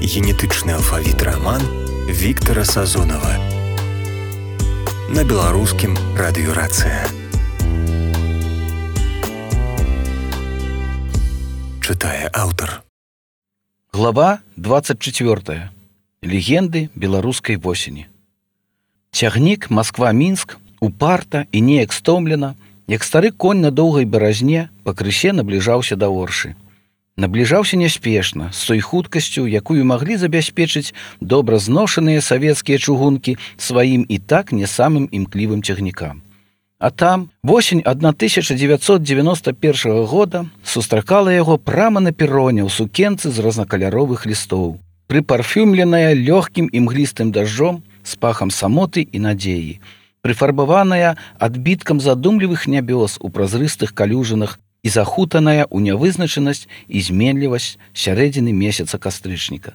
Генетычны алфавіт раман Віктара Сазонава на беларускім радыёрацыя. Чытае аўтар. Глава 24. Легенды беларускай восені. Цягнік Москва-Мінск упарта і неяк стомлена, як стары конь на доўгай баразне, пакрысе набліжаўся да Оршы. Набліжаўся няспешна, з той хуткасцю, якую маглі забяспечыць добра зношаныя савецкія чугункі сваім і так не самым імклівым цягнікам. А там восень 1991 года сустракала яго прама на пероне ў сукенцы з рознакаляровых лістоў, прыпарфюмленая лёгкім імглістым дажджом з пахам самоты і надзеі, прыфарбаваная адбіткам задумлівых нябёс у празрыстых калюжынах і захутаная ў нявызначанасць і зменлівасць сярэдзіны месяца кастрычніка.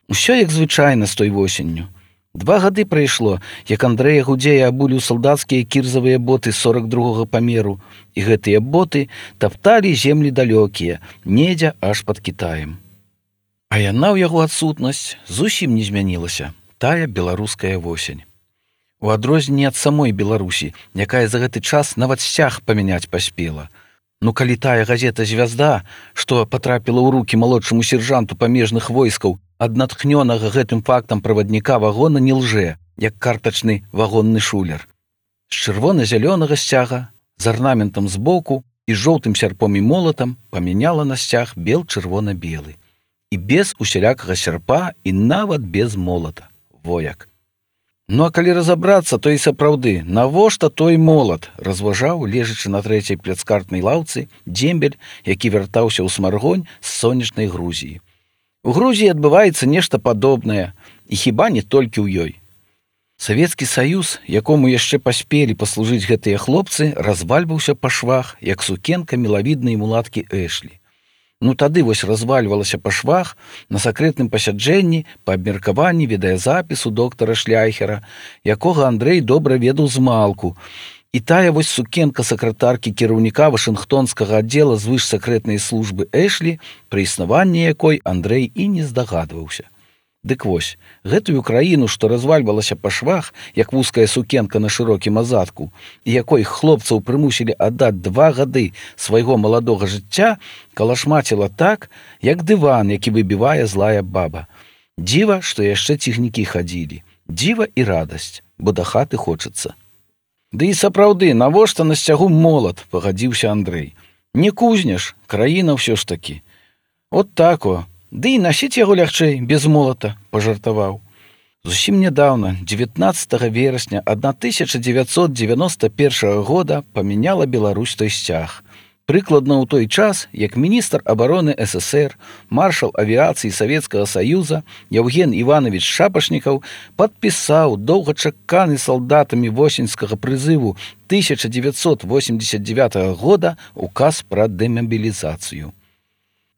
Усё як звычайна з той восенню. 2 гады прайшло, як Андрэя Гудзея абулі ў салдацкія кірзавыя боты 42-го памеру, і гэтыя боты тапталі землі далёкія, недзе аж пад Кітаем. А яна ў яго адсутнасць зусім не змянілася, тая беларуская восень. У адрозненне ад самой Беларусі, якая за гэты час нават сцяг памяняць паспела. Ну, калі тая газета «Звязда», што патрапіла ў рукі малодшаму сержанту памежных войскаў, ад натхнёнага гэтым фактам правадніка вагона не лжэ, як картачны вагонны шулер. З чырвона-зялёнага сцяга, з арнаментам збоку і жоўтым сярпом і молатам памяняла на сцяг бел-чырвона-белы. І без усялякага сярпа, і нават без молата. Вояк. Ну, а калі разабрацца, то і сапраўды, навошта той молат, разважаў, лежачы на 3-й пляцкартнай лаўцы, дзембель, які вяртаўся ў Смаргонь з сонечнай Грузіі. У Грузіі адбываецца нешта падобнае, і хіба не толькі ў ёй. Савецкі Саюз, якому яшчэ паспелі паслужыць гэтыя хлопцы, развальваўся па швах, як сукенка мілавіднай мулаткі Эшлі. Ну, тады вось развальвалася па швах на сакрэтным пасяджэнні па абмеркаванні відэазапісу доктара Шляйхера, якога Андрэй добра ведаў змалку. І тая вось сукенка сакратаркі кіраўніка Вашынгтонскага аддзела звышсакрэтнай службы Эшлі, пры існаванні якой Андрэй і не здагадваўся. Дык вось, гэтую краіну, што развальвалася па швах, як вузкая сукенка на шырокім азадку, і якой хлопцаў прымусілі аддаць 2 гады свайго маладога жыцця, калашмаціла так, як дыван, які выбівае злая баба. Дзіва, што яшчэ цягнікі хадзілі. Дзіва і радасць, бо да хаты хочацца. Ды і сапраўды, навошта на сцягу молат, пагадзіўся Андрэй. Не кузняш, краіна ўсё ж такі. От так о. Ды і насіць яго лягчэй, без молата, пажартаваў. Зусім нядаўна, 19 верасня 1991 года памяняла Беларусь той сцяг. Прыкладна ў той час, як міністр абароны СССР, маршал авіяцыі Савецкага Саюза Яўген Іванович Шапашнікаў падпісаў доўгачаканы салдатамі восеньскага прызыву 1989 года указ пра дэмабілізацыю.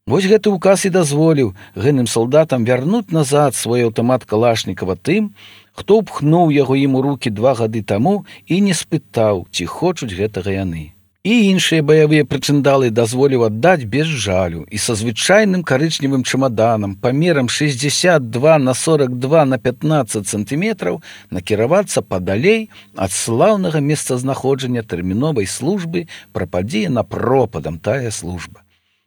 Вось гэты указ і дазволіў гэным салдатам вярнуць назад свой аўтамат Калашнікава тым, хто ўпхнуў яго ім у рукі 2 гады таму і не спытаў, ці хочуць гэтага яны. І іншыя баявыя прычындалы дазволіў аддаць без жалю і са звычайным карычневым чамаданам памерам 62 на 42 на 15 сантыметраў накіравацца падалей ад слаўнага месцазнаходжання тэрміновай службы, прападзе на пропадам тая служба.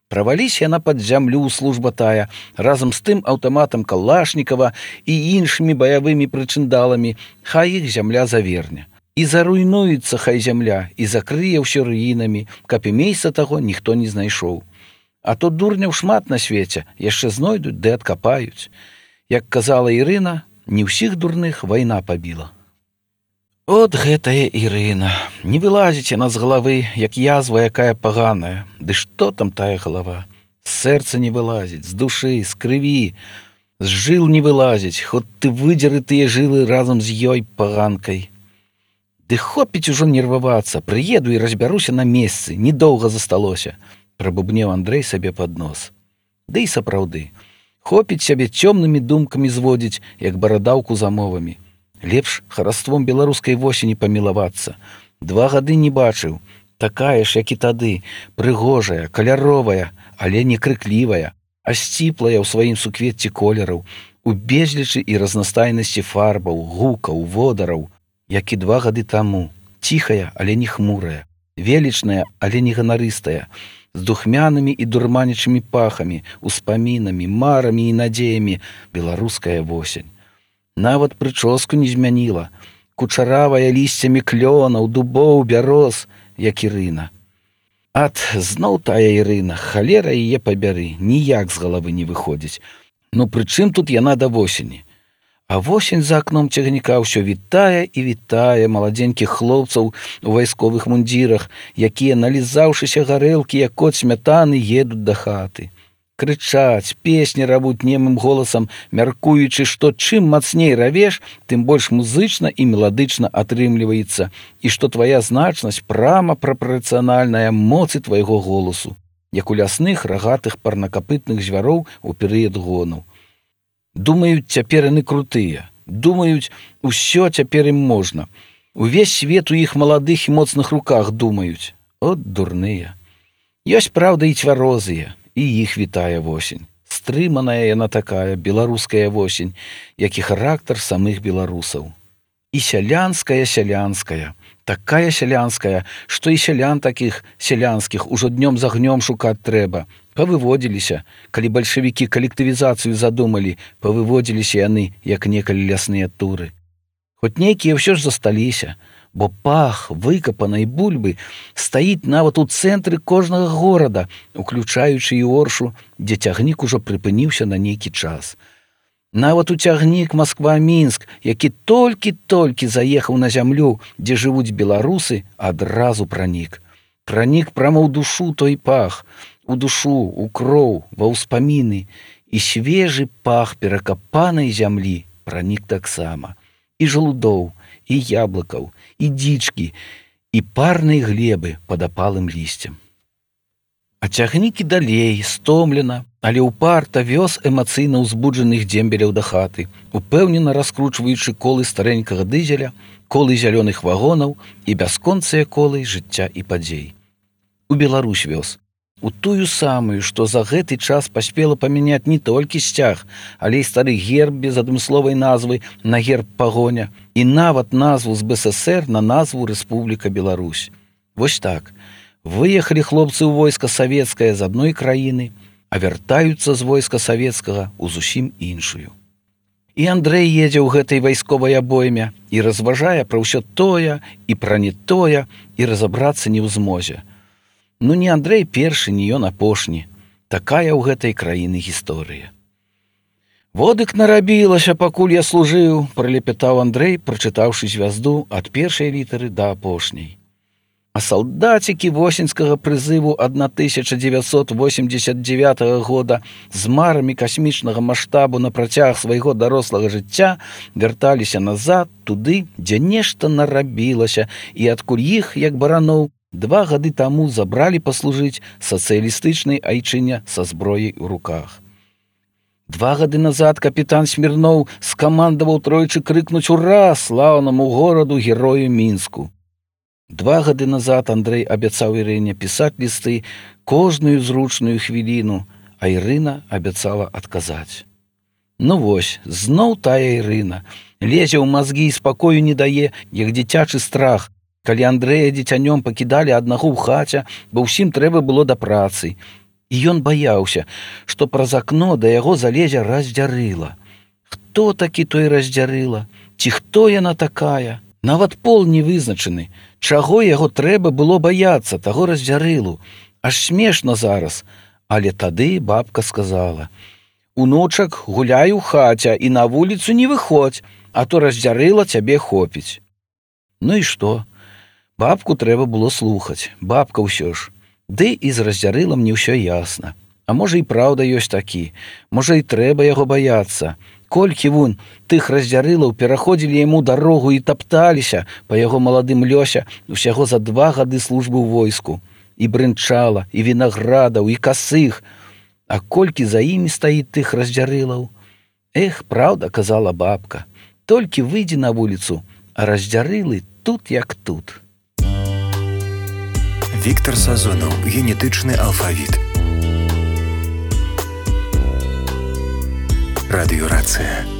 Праваліся яна пад зямлю служба тая, разам з тым аўтаматам Калашнікава і іншымі баявымі прычындаламі, хай іх зямля заверне. І заруйнуецца хай зямля, і закрые ўсё руінамі, каб і месца таго ніхто не знайшоў. А то дурняў шмат на свеце, яшчэ знойдуць ды адкапаюць. Як казала Ірына, не ўсіх дурных вайна пабіла. От гэтая Ірына, не вылазіць яна з галавы, як язва якая паганая. Ды што там тая галава? З сэрца не вылазіць, з душы, з крыві, з жыл не вылазіць, хоць ты выдзеры тыя жылы разам з ёй паганкай. Ды хопіць ужо нервавацца, прыеду і разбяруся на месцы, недоўга засталося, прабубнеў Андрэй сабе пад нос. Ды і сапраўды, хопіць сябе цёмнымі думкамі зводзіць, як барадаўку замовамі. Лепш хараством беларускай восені памілавацца. 2 гады не бачыў. Такая ж, як і тады, прыгожая, каляровая, але не крыклівая. а сціплая ў сваім суквецці колераў, у безлічы і разнастайнасці фарбаў, гукаў, водараў, як і 2 гады таму, ціхая, але не хмурая, велічная, але не ганарыстая, з духмянымі і дурманячымі пахамі, успамінамі, марамі і надзеямі беларуская восень. Нават прычоску не змяніла, кучаравая лісцямі клёнаў, дубоў, бяроз, як Ірына. Зноў тая Ірына, халера яе пабяры, ніяк з галавы не выходзіць. Ну пры чым тут яна да восені? А восень за акном цягніка ўсё вітае і вітае маладзенькіх хлопцаў у вайсковых мундзірах, якія, налізаўшыся гарэлкі, як кот смятаны, едуць да хаты. Крычаць, песні равуць немым голасам, мяркуючы, што чым мацней равеш, тым больш музычна і меладычна атрымліваецца, і што твая значнасць прама прапарцыянальная моцы твайго голасу, як у лясных рагатых парнакапытных звяроў у перыяд гону. Думаюць, цяпер яны крутыя, думаюць, усё цяпер ім можна. Увесь свет у іх маладых і моцных руках думаюць. От дурныя. Ёсць, праўда, і цвярозыя, і іх вітае восень. Стрыманая яна такая, беларуская восень, як і характар самых беларусаў. І сялянская, такая сялянская, што і сялян такіх сялянскіх ужо днём з агнём шукаць трэба. Павыводзіліся, калі бальшавікі калектывізацыю задумалі, павыводзіліся яны, як некалі лясныя туры. Хоць нейкія ўсё ж засталіся, бо пах выкапанай бульбы стаіць нават у цэнтры кожнага горада, уключаючы і Оршу, дзе цягнік ужо прыпыніўся на нейкі час. Нават у цягнік Масква-Мінск, які толькі-толькі заехаў на зямлю, дзе жывуць беларусы, адразу пранік. Пранік прама ў душу той пах, у душу, у кроў, ва ўспаміны, і свежы пах перакапанай зямлі пранік таксама. І жалудоў, і яблыкаў, і дзічкі, і парнай глебы пад апалым лісцем. А цягнік і далей, стомлена, але ўпарта вёз эмацыйна ўзбуджаных дзембеляў да хаты, упэўнена раскручваючы колы старэнькага дызеля, колы зялёных вагонаў і бясконцыя колы жыцця і падзей. У Беларусь вёз. У тую самую, што за гэты час паспела памяняць не толькі сцяг, але і стары герб без адмысловай назвы на герб пагоня і нават назву з БССР на назву Рэспубліка Беларусь. Вось так. Выехалі хлопцы ў войска савецкае з адной краіны, а вяртаюцца з войска савецкага ў зусім іншую. І Андрэй едзе ў гэтай вайсковай абойме і разважае пра ўсё тое і пра не тое, і разабрацца не ў змозе. Ну не Андрэй першы, не ён апошні. Такая ў гэтай краіны гісторыя. «Водык нарабілася, пакуль я служыў», – пралепятаў Андрэй, прачытаўшы звязду ад першай літары да апошняй. А салдацікі восеньскага прызыву 1989 года з марамі касмічнага маштабу на працяг свайго дарослага жыцця вярталіся назад, туды, дзе нешта нарабілася, і адкуль іх, як бараноў, 2 гады таму забралі паслужыць сацыялістычнай айчыне са зброяй у руках. 2 гады назад капітан Смірноў скамандаваў тройчы крыкнуць «Ура!» слаўнаму гораду герою Мінску. 2 гады назад Андрэй абяцаў Ірыне пісаць лісты кожную зручную хвіліну, а Ірына абяцала адказаць. Ну вось, зноў тая Ірына. Лезе ў мазгі і спакою не дае, як дзіцячы страх, калі Андрэя дзіцянём пакідалі аднаго ў хаце, бо ўсім трэба было да працы. І ён баяўся, што праз акно да яго залезе Раздзярыла. Хто такі той Раздзярыла? Ці хто яна такая? Нават пол не вызначаны. Чаго яго трэба было баяцца, таго Раздзярылу? Аж смешна зараз. Але тады бабка сказала: «Унучак, гуляй у хаце і на вуліцу не выходзь, а то Раздзярыла цябе хопіць». Ну і што? Бабку трэба было слухаць, бабка ўсё ж. Ды і з Раздзярылам не ўсё ясна. А можа і праўда ёсць такі, можа і трэба яго баяцца. Колькі вунь тых Раздзярылаў пераходзілі яму дарогу і тапталіся па яго маладым лёсе усяго за 2 гады службы ў войску. І брынчала, і вінаградаў, і касых. А колькі за імі стаіць тых Раздзярылаў? Эх, праўда, казала бабка, толькі выйдзі на вуліцу, а Раздзярылы тут як тут. Віктар Сазонаў. Генетычны алфавіт. Радыёрацыя.